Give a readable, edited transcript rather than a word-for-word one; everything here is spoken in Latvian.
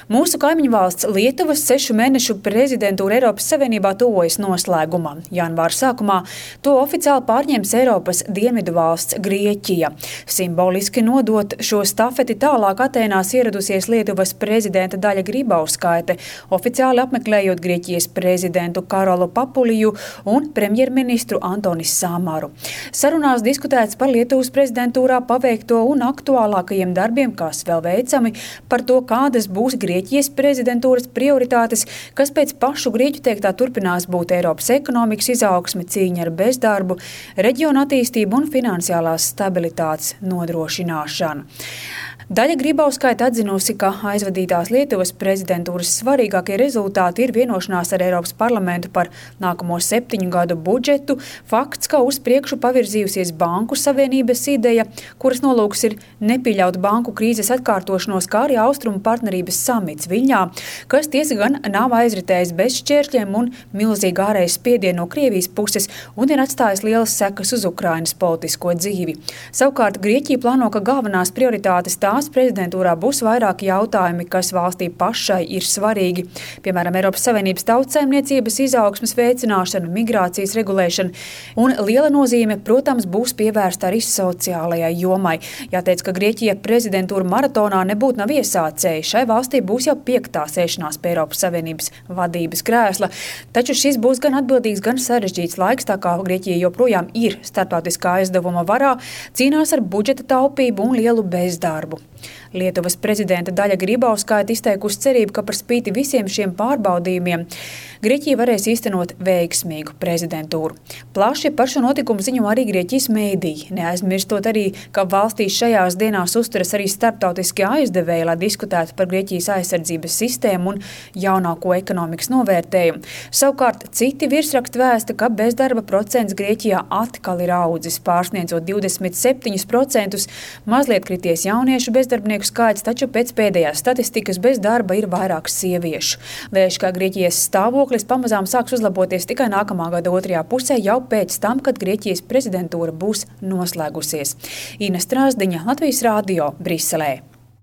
Mūsu kaimiņu valsts Lietuvas 6 mēnešu prezidentūra Eiropas Savienībā tuvojas noslēgumam. Janvāra sākumā to oficiāli pārņems Eiropas dienvidu valsts Grieķija. Simboliski nodot šo stafeti tālāk Atēnās ieradusies Lietuvas prezidenta Daļa Grybauskaite, oficiāli apmeklējot Grieķijas prezidentu Karolu Papuliju un premjerministru Antonis Samaru. Sarunās diskutēts par Lietuvas prezidentūrā paveikto un aktuālākajiem darbiem, kas vēl veicami, par to, kādas būs Grieķijas prezidentūras prioritātes, kas pēc pašu grieķu teiktā turpinās būt Eiropas ekonomikas izaugsme, cīņa ar bezdarbu, reģiona attīstību un finansiālās stabilitātes nodrošināšanu. Daļa Grybauskaite atzinusi, ka aizvadītās Lietuvas prezidentūras svarīgākie rezultāti ir vienošanās ar Eiropas parlamentu par nākamo 7 gadu budžetu, fakts, ka uz priekšu pavirzījusies Banku savienības ideja, kuras nolūks ir nepieļaut banku krīzes atkārtošanos, kā arī Austrumu partnerības samits Viļņā, kas tiesa gan nav aizritējis bez šķēršļiem un milzīgu ārēju spiedienu no Krievijas puses un ir atstājis lielas sekas uz Ukrainas politisko dzīvi. Savukārt Grieķija plāno, ka galvenās prioritātes tās prezidentūrā būs vairāki jautājumi, kas valstī pašai ir svarīgi. Piemēram, Eiropas Savienības tautsaimniecības izaugsmes veicināšana, migrācijas regulēšana un liela nozīme, protams, būs pievērsta arī sociālajai jomai. Jāteic, ka Grieķija prezidentūra maratonā nebūtu nav iesācēji. Šai valstī būs jau 5. sēšanās pie Eiropas Savienības vadības krēsla, taču šis būs gan atbildīgs, gan sarežģīts laiks, tā kā Grieķija joprojām ir starptautiskā aizdevuma varā, cīnās ar budžeta taupību un lielu bezdarbu. Lietuvas prezidenta Daļa Grybauskaite izteikusi cerību, ka par spīti visiem šiem pārbaudījumiem Grieķija varēs īstenot veiksmīgu prezidentūru. Plaši par šo notikumu ziņo arī Grieķijas mēdīji, neaizmirstot arī, ka valstī šajās dienās uzturas arī starptautiskie aizdevēji, lai diskutētu par Grieķijas aizsardzības sistēmu un jaunāko ekonomikas novērtējumu. Savukārt citi virsraksti vēsta, ka bezdarba procents Grieķijā atkal ir audzis, pārsniedzot 27%, mazliet krities jauniešu bezdarbnieku skaits, taču pēc pēdējās statistikas bez darba ir vairāk sieviešu. Lēš, ka Grieķijas stāvoklis pamazām sāks uzlaboties tikai nākamā gada 2. pusē, jau pēc tam, kad Grieķijas prezidentūra būs noslēgusies. Ina Strāzdiņa, Latvijas Rādio, Briselē.